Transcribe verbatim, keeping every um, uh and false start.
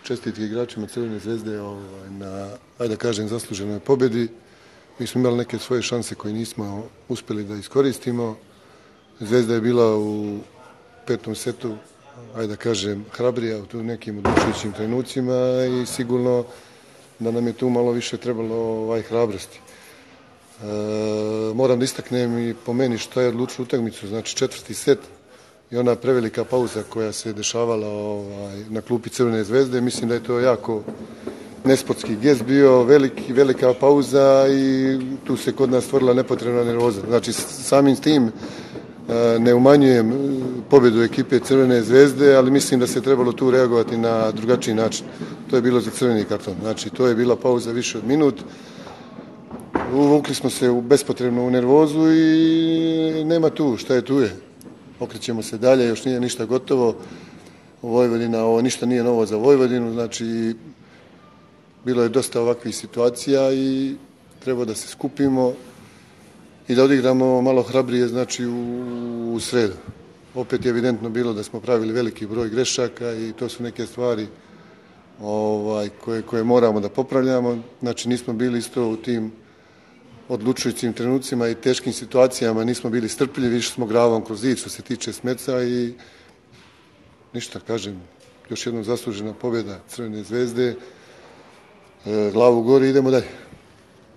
čestitke igračima Crvene zvezde ovaj, na, ajde da kažem, zasluženoj pobjedi. Mi smo imali neke svoje šanse koje nismo uspjeli da iskoristimo. Zvezda je bila u petom setu, ajde da kažem, hrabrija u nekim odlučujućim trenucima i sigurno da nam je tu malo više trebalo ovaj, hrabrosti. E, moram da istaknem i po meni što je odlučilo utakmicu, znači četvrti set i ona prevelika pauza koja se dešavala ovaj, na klupi Crvene zvezde. Mislim da je to jako nesportski gest bio, veliki, velika pauza i tu se kod nas stvorila nepotrebna nervoza. Znači samim tim ne umanjujem pobjedu ekipe Crvene zvezde, ali mislim da se trebalo tu reagovati na drugačiji način. To je bilo za crveni karton. Znači to je bila pauza više od minut. Uvukli smo se u bespotrebno u nervozu i nema tu, šta je tu je. Okrećemo se dalje, još nije ništa gotovo. Vojvodina, ovo ništa nije novo za Vojvodinu, znači bilo je dosta ovakvih situacija i treba da se skupimo i da odigramo malo hrabrije, znači u, u sredu. Opet je evidentno bilo da smo pravili veliki broj grešaka i to su neke stvari ovaj, koje, koje moramo da popravljamo. Znači nismo bili isto u tim odlučujućim trenucima i teškim situacijama, nismo bili strpljivi, više smo gravom kroz zid što se tiče Smeca i ništa, kažem, još jednom zaslužena pobjeda Crvene zvezde. Glavu gori, idemo dalje.